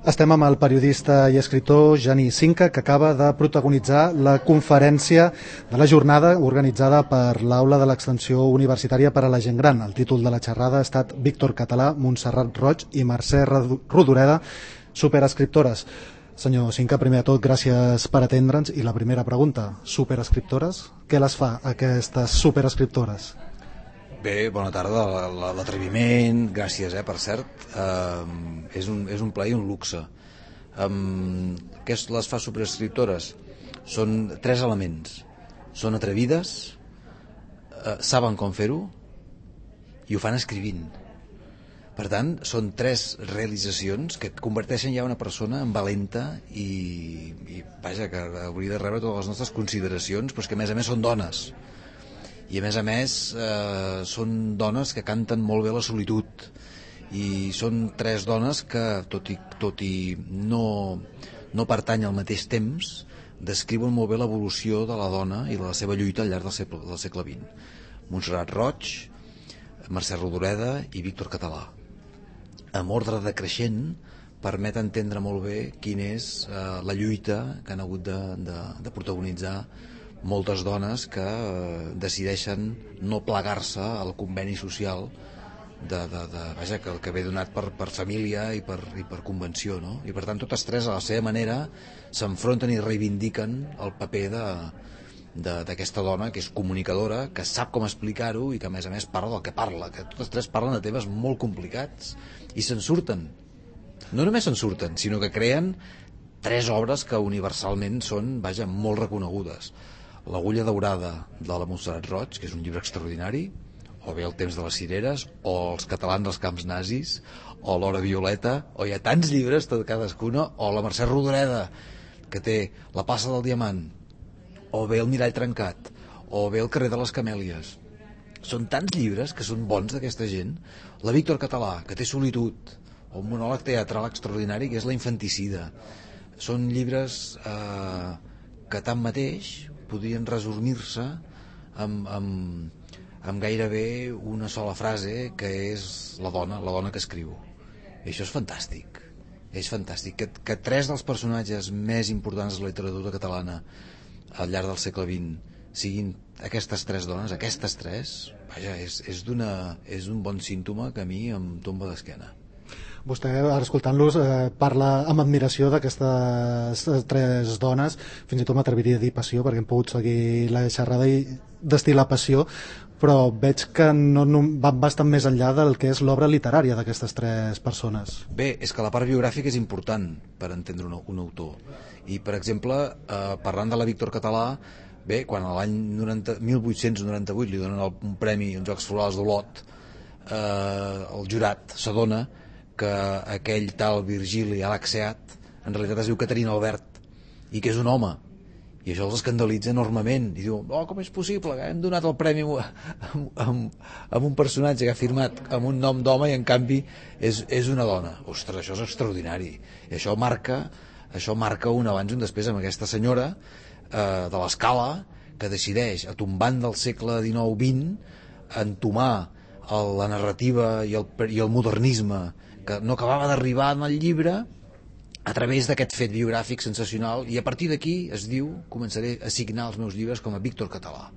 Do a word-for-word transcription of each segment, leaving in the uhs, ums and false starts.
Estem amb el periodista i escriptor Genís Cinca, que acaba de protagonitzar la conferència de la jornada organitzada per l'Aula de l'Extensió Universitària per a la Gent Gran. El títol de la xerrada ha estat Víctor Català, Montserrat Roig i Mercè Rodoreda, superescriptores. Senyor Cinca, primer de tot, gràcies per atendre'ns. I la primera pregunta, superescriptores? Què les fa, aquestes superescriptores? Bé, bona tarda, l'atreviment, gràcies, eh, per cert, uh, és, un, és un plaer i un luxe. Um, què les fa superescriptores? Són tres elements. Són atrevides, uh, saben com fer-ho i ho fan escrivint. Per tant, són tres realitzacions que converteixen ja una persona en valenta i, i vaja, que hauria de rebre totes les nostres consideracions, però és que a més a més són dones. I a més a més eh, són dones que canten molt bé la solitud i són tres dones que tot i, tot i no, no pertany al mateix temps descriuen molt bé l'evolució de la dona i la seva lluita al llarg del segle, del segle vint. Montserrat Roig, Mercè Rodoreda i Víctor Català, amb ordre decreixent, permet entendre molt bé quina és eh, la lluita que han hagut de, de, de protagonitzar moltes dones que eh, decideixen no plegar-se al conveni social de, de, de, vaja, que, que ve donat per, per família i per, i per convenció, no? I per tant totes tres a la seva manera s'enfronten i reivindiquen el paper de, de, d'aquesta dona que és comunicadora, que sap com explicar-ho i que a més a més parla del que parla, que totes tres parlen de temes molt complicats i se'n surten. No només se'n surten, sinó que creen tres obres que universalment són, vaja, molt reconegudes. L'Agulla daurada de la Montserrat Roig, que és un llibre extraordinari, o bé El temps de les cireres, o Els catalans als camps nazis, o L'hora violeta, o hi ha tants llibres, tot cadascuna, o la Mercè Rodoreda, que té La plaça del diamant, o bé El mirall trencat, o bé El carrer de les camèlies. Són tants llibres que són bons d'aquesta gent. La Víctor Català, que té solitud, o un monòleg teatral extraordinari, que és La infanticida. Són llibres eh, que tanmateix podrien resumir-se amb, amb, amb gairebé una sola frase, que és la dona, la dona que escriu. I això és fantàstic. És fantàstic. Que, que tres dels personatges més importants de la literatura catalana al llarg del segle vint siguin aquestes tres dones, aquestes tres, vaja, és, és, d'una, és un bon símptoma que a mi em tomba d'esquena. Vostè, ara escoltant-los, eh, parla amb admiració d'aquestes tres dones, fins i tot m'atreviria a dir passió, perquè hem pogut seguir la xerrada i destil·lar passió, però veig que no, no, van bastant més enllà del que és l'obra literària d'aquestes tres persones. Bé, és que la part biogràfica és important per entendre un, un autor. I, per exemple, eh, parlant de la Víctor Català, bé, quan a l'any mil vuit-cents noranta-vuit li donen el, un premi als Jocs Florals d'Olot, eh, el jurat s'adona que aquell tal Virgili Alaxeat en realitat es diu Caterina Albert i que és un home, i això els escandalitza enormement i diu, oh, com és possible que hem donat el premi amb, amb, amb un personatge que ha firmat amb un nom d'home i en canvi és, és una dona. Ostres, això és extraordinari, i això marca això marca un abans i un després amb aquesta senyora eh, de l'Escala, que decideix, a tombant del segle dinou vint, entomar el, la narrativa i el, i el modernisme que no acabava d'arribar en el llibre a través d'aquest fet biogràfic sensacional, i a partir d'aquí es diu, començaré a signar els meus llibres com a Víctor Català,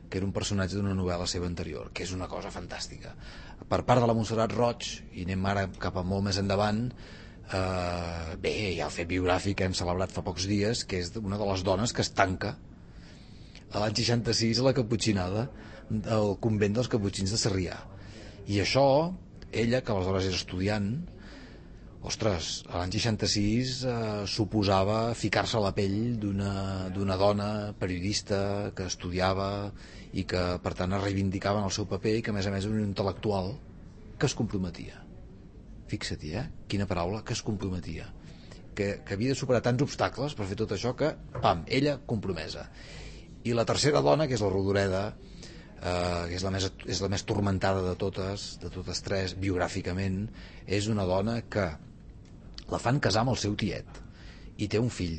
que era un personatge d'una novel·la seva anterior, que és una cosa fantàstica. Per part de la Montserrat Roig, i anem ara cap a molt més endavant, eh, bé, hi ha el fet biogràfic que hem celebrat fa pocs dies, que és una de les dones que es tanca a l'any seixanta-sis a la Caputxinada del convent dels Caputxins de Sarrià. I això, ella, que aleshores era estudiant, ostres, a l'any seixanta-sis eh, suposava ficar-se a la pell d'una, d'una dona periodista que estudiava i que per tant es reivindicava en el seu paper i que a més a més era un intel·lectual que es comprometia. Fixa-t'hi, eh? Quina paraula, que es comprometia. Que, que havia de superar tants obstacles per fer tot això que, pam, ella compromesa. I la tercera dona, que és la Rodoreda, Uh, que és la, més, és la més turmentada de totes, de totes tres, biogràficament, és una dona que la fan casar amb el seu tiet i té un fill.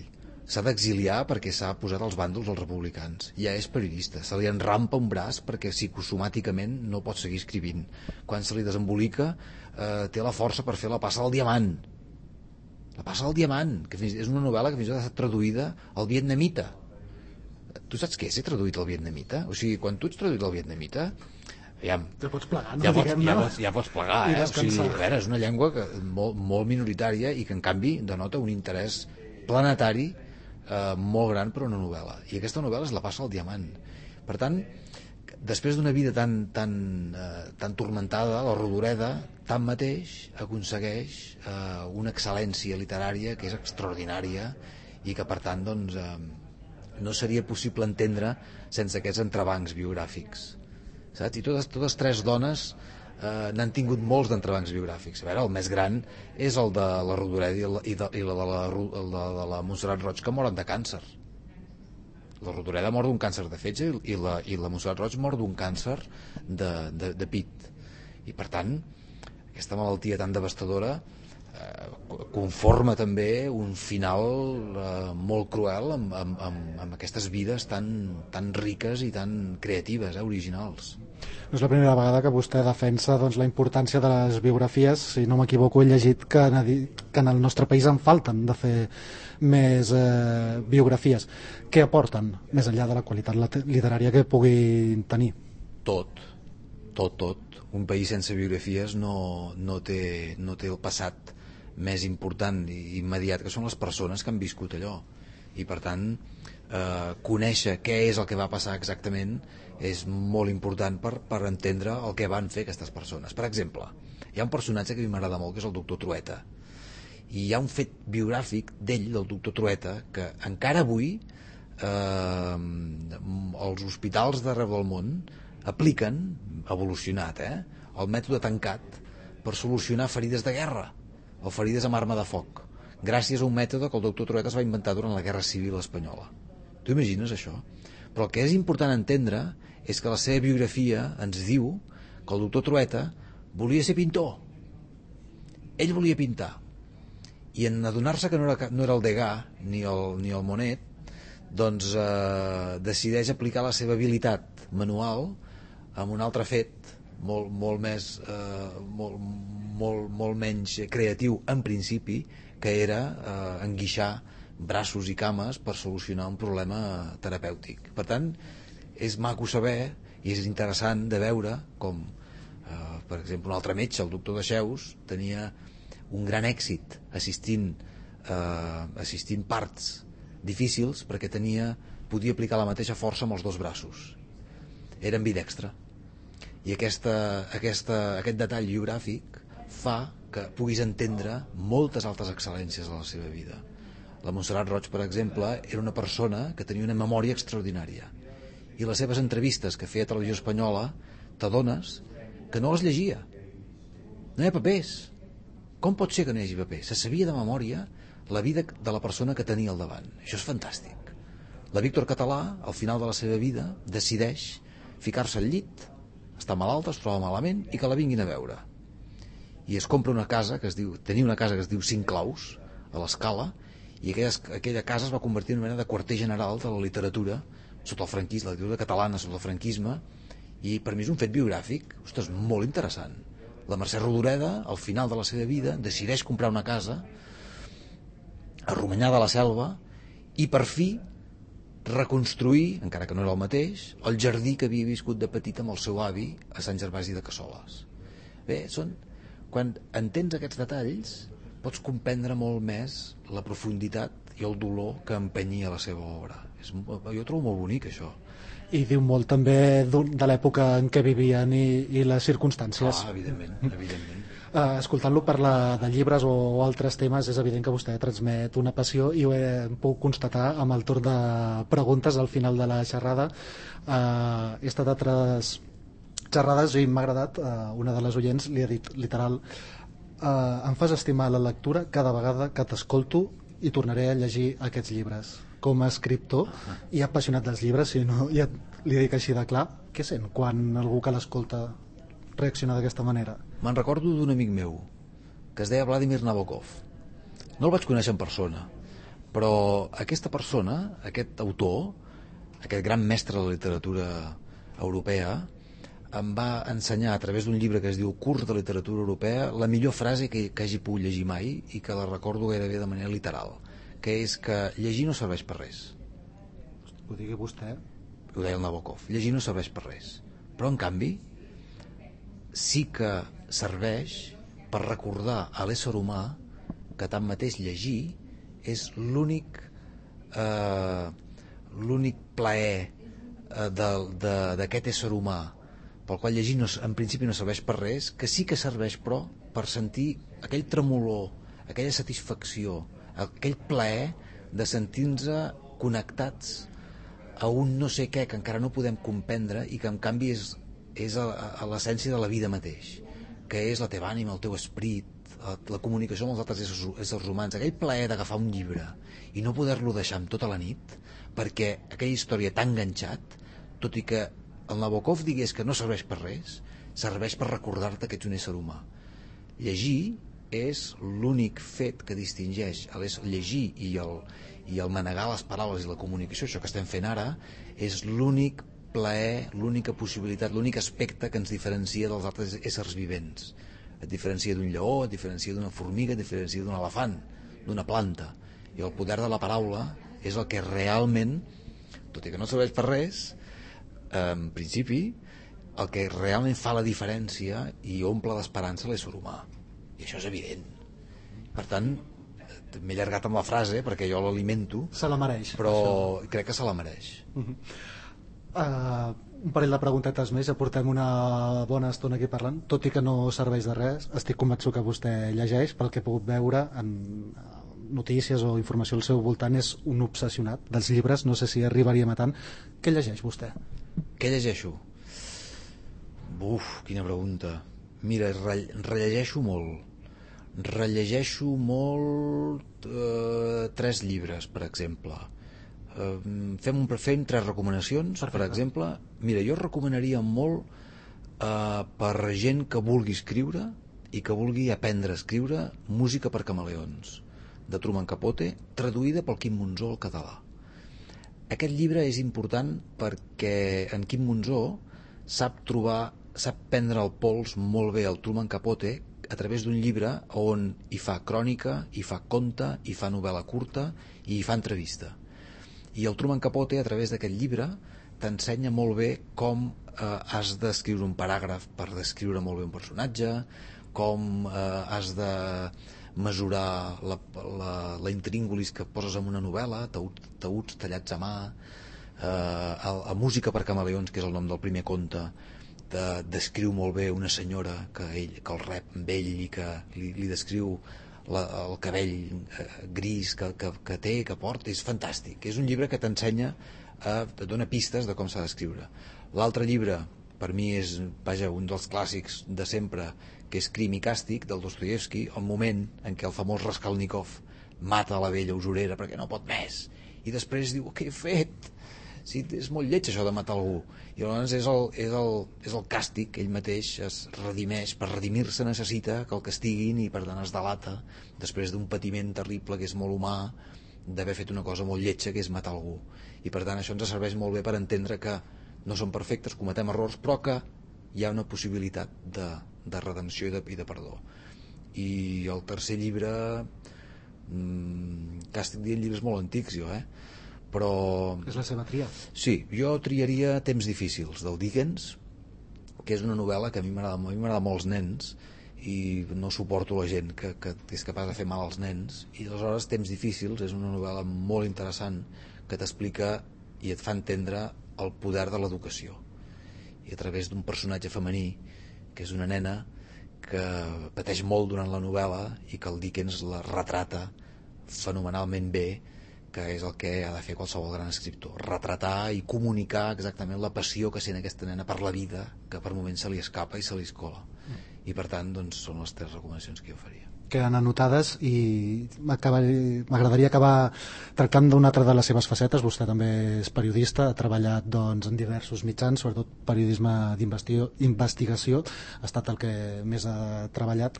S'ha d'exiliar perquè s'ha posat als bàndols dels republicans. Ja és periodista, se li enrampa un braç perquè psicosomàticament no pot seguir escrivint. Quan se li desembolica, uh, té la força per fer La plaça del diamant. La passa al diamant, que és una novel·la que fins i tot ha estat traduïda al vietnamita. Tu saps què és ser traduït al vietnamita? O sigui, quan tu ets traduït al vietnamita, ja, ja pots plegar, no? Ja pots, ja pots, ja pots plegar, eh? O sigui, a veure, és una llengua que, molt, molt minoritària i que, en canvi, denota un interès planetari eh, molt gran per una novel·la. I aquesta novel·la es la passa al diamant. Per tant, després d'una vida tan, tan, eh, tan turmentada, la Rodoreda, tanmateix, aconsegueix eh, una excel·lència literària que és extraordinària i que, per tant, doncs, eh, no seria possible entendre sense aquests entrebancs biogràfics. Saps? I totes, totes tres dones eh, n'han tingut molts d'entrebancs biogràfics. A veure, el més gran és el de la Rodoreda i, la, i, de, i la de la, el de, de la Montserrat Roig, que moren de càncer. La Rodoreda mor d'un càncer de fetge i la, i la Montserrat Roig mor d'un càncer de, de, de pit. I per tant, aquesta malaltia tan devastadora eh, conforma també un final eh, molt cruel amb, amb, amb, amb aquestes vides tan, tan riques i tan creatives, eh, originals. No és la primera vegada que vostè defensa doncs, la importància de les biografies. Si no m'equivoco, he llegit que en, que en el nostre país en falten de fer més eh, biografies. Què aporten, més enllà de la qualitat literària que puguin tenir? Tot, tot, tot. Un país sense biografies no, no, té, no té el passat més important i immediat, que són les persones que han viscut allò. I per tant, eh, conèixer què és el que va passar exactament és molt important per, per entendre el que van fer aquestes persones. Per exemple, hi ha un personatge que a mi m'agrada molt, que és el doctor Trueta, i hi ha un fet biogràfic d'ell, del doctor Trueta, que encara avui eh, els hospitals d'arreu del món apliquen, evolucionat, eh, el mètode tancat per solucionar ferides de guerra o ferides amb arma de foc, gràcies a un mètode que el doctor Trueta es va inventar durant la Guerra Civil Espanyola. Tu imagines això? Però el que és important entendre és que la seva biografia ens diu que el doctor Trueta volia ser pintor. Ell volia pintar. I en adonar-se que no era, no era el Degas ni el, ni el Monet, doncs eh, decideix aplicar la seva habilitat manual amb un altre fet molt, molt més eh, molt, molt, molt menys creatiu en principi, que era eh, enguixar braços i cames per solucionar un problema terapèutic. Per tant, és maco saber i és interessant de veure com eh, per exemple un altre metge, el doctor Dexeus, tenia un gran èxit assistint eh, assistint parts difícils perquè tenia, podia aplicar la mateixa força amb els dos braços. Era ambidextre. I aquesta, aquesta, aquest detall biogràfic fa que puguis entendre moltes altres excel·lències de la seva vida. La Montserrat Roig, per exemple, era una persona que tenia una memòria extraordinària, i les seves entrevistes que feia a Televisió Espanyola t'adones que no les llegia. No hi ha papers. Com pot ser que no hi hagi papers? Se sabia de memòria la vida de la persona que tenia al davant. Això és fantàstic. La Víctor Català, al final de la seva vida, decideix ficar-se al llit, està malalta, es troba malament, i que la vinguin a veure. I es compra una casa que es diu, tenia una casa que es diu Cinc Claus, a l'Escala, i aquella, aquella casa es va convertir en una mena de quarter general de la literatura sota el franquisme, la literatura catalana sota el franquisme, i per mi és un fet biogràfic, ostres, molt interessant. La Mercè Rodoreda, al final de la seva vida, decideix comprar una casa a Romanyà de la Selva i per fi reconstruir, encara que no era el mateix, el jardí que havia viscut de petit amb el seu avi a Sant Gervasi de Cassoles. Bé, són... quan entens aquests detalls pots comprendre molt més la profunditat i el dolor que empenyia la seva obra. És, jo trobo molt bonic això. I diu molt també de l'època en què vivien i, i les circumstàncies. Ah, evidentment, evidentment. Uh, escoltant-lo parlar de llibres o, o altres temes, és evident que vostè transmet una passió, i ho he pogut constatar amb el torn de preguntes al final de la xerrada. Uh, he estat a altres xerrades i m'ha agradat, uh, una de les oients li ha dit literal, uh, em fas estimar la lectura cada vegada que t'escolto i tornaré a llegir aquests llibres. Com a escriptor i apassionat dels llibres, si no, ja li dic així de clar, què sent quan algú que l'escolta reacciona d'aquesta manera? Me'n recordo d'un amic meu que es deia Vladimir Nabokov. No el vaig conèixer en persona, però aquesta persona, aquest autor, aquest gran mestre de la literatura europea, em va ensenyar a través d'un llibre que es diu Curs de Literatura Europea la millor frase que, que hagi pogut llegir mai i que la recordo gairebé de manera literal, que és que llegir no serveix per res. Ho digui vostè. Ho deia el Nabokov, llegir no serveix per res, però en canvi sí que serveix per recordar a l'ésser humà que tanmateix llegir és l'únic eh, l'únic plaer eh, d'aquest ésser humà, pel qual llegir no, en principi no serveix per res, que sí que serveix però per sentir aquell tremolor, aquella satisfacció, aquell plaer de sentir-nos connectats a un no sé què que encara no podem comprendre i que en canvi és, és a, a l'essència de la vida mateix, que és la teva ànima, el teu esperit, la, la comunicació amb els altres éssers, éssers humans, aquell plaer d'agafar un llibre i no poder-lo deixar amb tota la nit perquè aquella història t'ha enganxat, tot i que el Nabokov digués que no serveix per res, serveix per recordar-te que ets un ésser humà. Llegir és l'únic fet que distingeix el llegir i el, i el manegar les paraules i la comunicació, això que estem fent ara, és l'únic plaer, l'única possibilitat, l'únic aspecte que ens diferencia dels altres éssers vivents. Et diferencia d'un lleó, et diferencia d'una formiga, et diferencia d'un elefant, d'una planta. I el poder de la paraula és el que realment, tot i que no serveix per res, en principi, el que realment fa la diferència i omple d'esperança l'ésser humà. I això és evident. Per tant, m'he allargat amb la frase perquè jo l'alimento. Se la mereix. Però això. Crec que se la mereix. Uh-huh. Uh, un parell de preguntetes més, ja portem una bona estona aquí parlant, tot i que no serveix de res. Estic convençut que vostè llegeix, pel que he pogut veure en notícies o informació al seu voltant, és un obsessionat dels llibres, no sé si arribaríem a tant. Què llegeix vostè? Què llegeixo? Uf, quina pregunta. Mira, re rellegeixo molt. Rellegeixo molt eh, tres llibres, per exemple. Eh, fem, un, fem tres recomanacions. Perfecte. Per exemple, mira, jo recomanaria molt eh, per gent que vulgui escriure i que vulgui aprendre a escriure Música per camaleons, de Truman Capote, traduïda pel Quim Monzó al català. Aquest llibre és important perquè en Quim Monzó sap trobar, sap prendre el pols molt bé al Truman Capote a través d'un llibre on hi fa crònica, hi fa conte, hi fa novel·la curta i hi fa entrevista. I el Truman Capote, a través d'aquest llibre, t'ensenya molt bé com eh, has d'escriure un paràgraf per descriure molt bé un personatge, com eh, has de mesurar la, la, la intríngulis que poses en una novel·la, taüts tallats a mà, eh, a, a Música per camaleons, que és el nom del primer conte, de, descriu molt bé una senyora que, ell, que el rep amb ell i que li, li descriu la, el cabell eh, gris que, que, que té, que porta. És fantàstic, és un llibre que t'ensenya, eh, et dona pistes de com s'ha d'escriure. L'altre llibre per mi és, vaja, un dels clàssics de sempre, que és Crim i càstig, del Dostoievski, el moment en què el famós Raskolnikov mata la vella usurera perquè no pot més, i després diu, què he fet? Sí, és molt lleig això de matar algú. I llavors és el, és el, és el càstig que ell mateix es redimeix. Per redimir-se necessita que el castiguin i per tant es delata després d'un patiment terrible que és molt humà, d'haver fet una cosa molt lletja, que és matar algú. I per tant això ens serveix molt bé per entendre que no som perfectes, cometem errors, però que hi ha una possibilitat de, de redempció i de, i de perdó. I el tercer llibre, mmm, càstig dient llibres molt antics jo, eh? Però... És la seva tria. Sí, jo triaria Temps difícils, del Dickens, que és una novel·la que a mi m'agrada molt als nens i no suporto la gent que, que és capaç de fer mal als nens, i aleshores Temps difícils és una novel·la molt interessant que t'explica i et fa entendre el poder de l'educació, i a través d'un personatge femení que és una nena que pateix molt durant la novel·la i que el Dickens la retrata fenomenalment bé, que és el que ha de fer qualsevol gran escriptor, retratar i comunicar exactament la passió que sent aquesta nena per la vida, que per moments se li escapa i se li escola. I per tant, doncs, són les tres recomanacions que jo faria. Queden anotades, i m'agradaria acabar tractant d'una altra de les seves facetes. Vostè també és periodista, ha treballat doncs, en diversos mitjans, sobretot periodisme d'investigació, ha estat el que més ha treballat.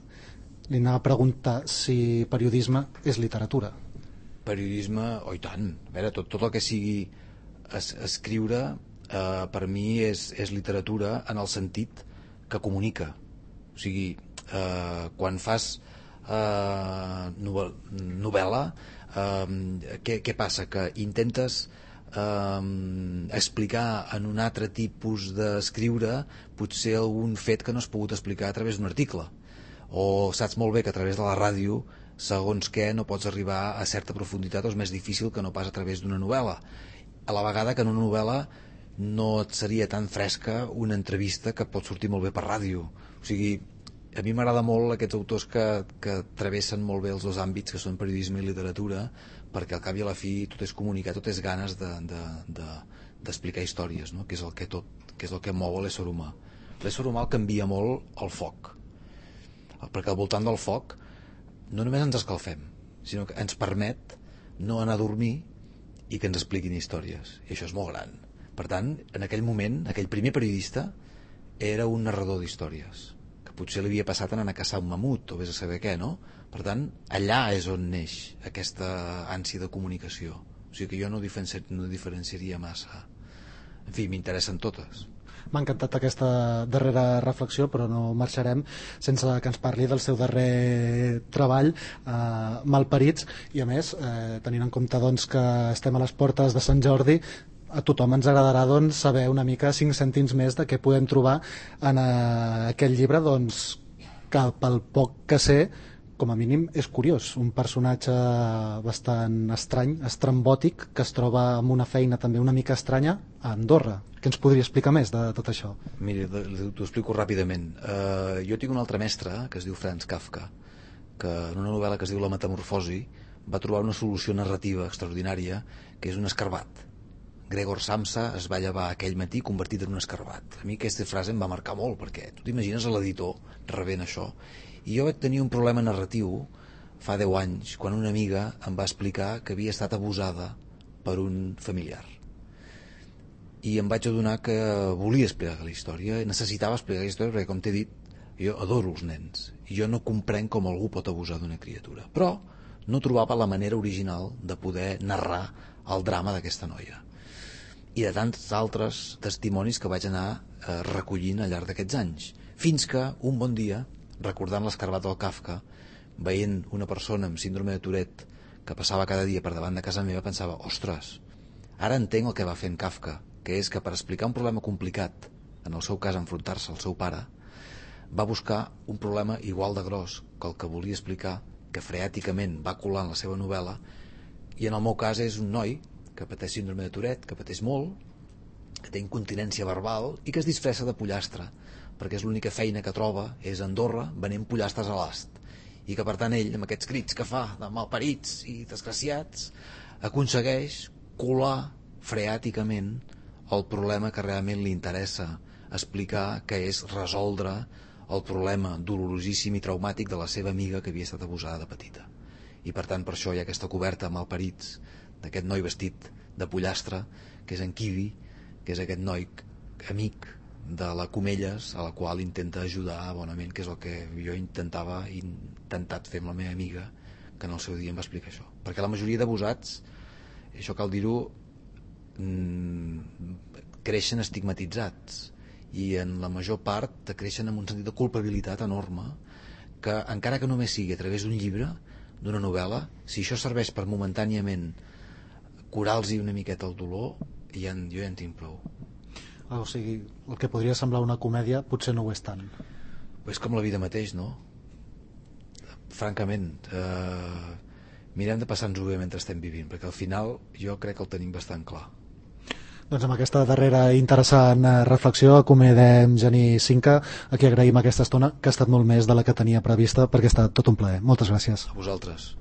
Li anava a preguntar si periodisme és literatura. Periodisme, oh i tant, a veure, tot, tot el que sigui es, escriure eh, per mi és, és literatura en el sentit que comunica. O sigui, eh, quan fas eh, novel·la, eh, què, què passa? Que intentes eh, explicar en un altre tipus d'escriure potser algun fet que no has pogut explicar a través d'un article, o saps molt bé que a través de la ràdio segons què no pots arribar a certa profunditat o és més difícil que no pas a través d'una novel·la, a la vegada que en una novel·la no et seria tan fresca una entrevista que pot sortir molt bé per ràdio. O sigui, a mi m'agrada molt aquests autors que, que travessen molt bé els dos àmbits, que són periodisme i literatura, perquè al cap i a la fi tot és comunicar, tot és ganes de, de, de, d'explicar històries, no? Que és el que tot, que és el que mou l'ésser humà. L'ésser humà el canvia molt el foc, perquè al voltant del foc no només ens escalfem, sinó que ens permet no anar a dormir i que ens expliquin històries, i això és molt gran. Per tant, en aquell moment, aquell primer periodista era un narrador d'històries, que potser li havia passat anant a caçar un mamut o vés a saber què, no? Per tant, allà és on neix aquesta ànsia de comunicació. O sigui que jo no, diferenci... no diferenciaria massa. En fi, m'interessen totes. M'ha encantat aquesta darrera reflexió, però no marxarem sense que ens parli del seu darrer treball, eh, Malparits, i a més, eh, tenint en compte doncs, que estem a les portes de Sant Jordi, a tothom ens agradarà doncs, saber una mica cinc cèntims més de què podem trobar en eh, aquest llibre, doncs, que pel poc que sé, com a mínim és curiós, un personatge bastant estrany, estrambòtic, que es troba amb una feina també una mica estranya a Andorra. Què ens podria explicar més de tot això? Mira, t'ho explico ràpidament. Uh, jo tinc un altre mestre que es diu Franz Kafka, que en una novel·la que es diu La Metamorfosi va trobar una solució narrativa extraordinària, que és un escarbat. Gregor Samsa es va llevar aquell matí convertit en un escarbat. A mi aquesta frase em va marcar molt, perquè tu t'imagines l'editor rebent això. I jo vaig tenir un problema narratiu fa deu anys, quan una amiga em va explicar que havia estat abusada per un familiar. I em vaig adonar que volia explicar la història, necessitava explicar la història, perquè, com t'he dit, jo adoro els nens, i jo no comprenc com algú pot abusar d'una criatura. Però no trobava la manera original de poder narrar el drama d'aquesta noia. I de tants altres testimonis que vaig anar eh, recollint al llarg d'aquests anys. Fins que, un bon dia, recordant l'escarbat del Kafka, veient una persona amb síndrome de Tourette que passava cada dia per davant de casa meva, pensava, ostres, ara entenc el que va fer en Kafka, que és que per explicar un problema complicat, en el seu cas enfrontar-se al seu pare, va buscar un problema igual de gros que el que volia explicar, que freàticament va colar en la seva novel·la, i en el meu cas és un noi que pateix síndrome de Tourette, que pateix molt, que té incontinència verbal i que es disfressa de pollastre, perquè és l'única feina que troba és a Andorra venent pollastres a l'ast, i que per tant ell, amb aquests crits que fa de malparits i desgraciats, aconsegueix colar freàticament el problema que realment li interessa explicar, que és resoldre el problema dolorosíssim i traumàtic de la seva amiga que havia estat abusada de petita. I per tant per això hi ha aquesta coberta amb malparits d'aquest noi vestit de pollastre, que és en Kivi, que és aquest noi amic de la Comelles, a la qual intenta ajudar bonament, que és el que jo intentava i intentat fer amb la meva amiga, que en el seu dia em va explicar això. Perquè la majoria d'abusats, això cal dir-ho, creixen estigmatitzats, i en la major part creixen amb un sentit de culpabilitat enorme, que encara que només sigui a través d'un llibre, d'una novel·la, si això serveix per momentàniament curar-los una miqueta el dolor, ja, jo ja en tinc prou. O sigui, el que podria semblar una comèdia potser no ho és tant. És com la vida mateix, no? Francament, eh, mirem de passar-nos-ho bé mentre estem vivint, perquè al final jo crec que el tenim bastant clar. Doncs amb aquesta darrera interessant reflexió acomodem Genís Cinca, a qui agraïm aquesta estona, que ha estat molt més de la que tenia prevista, perquè ha estat tot un plaer. Moltes gràcies. A vosaltres.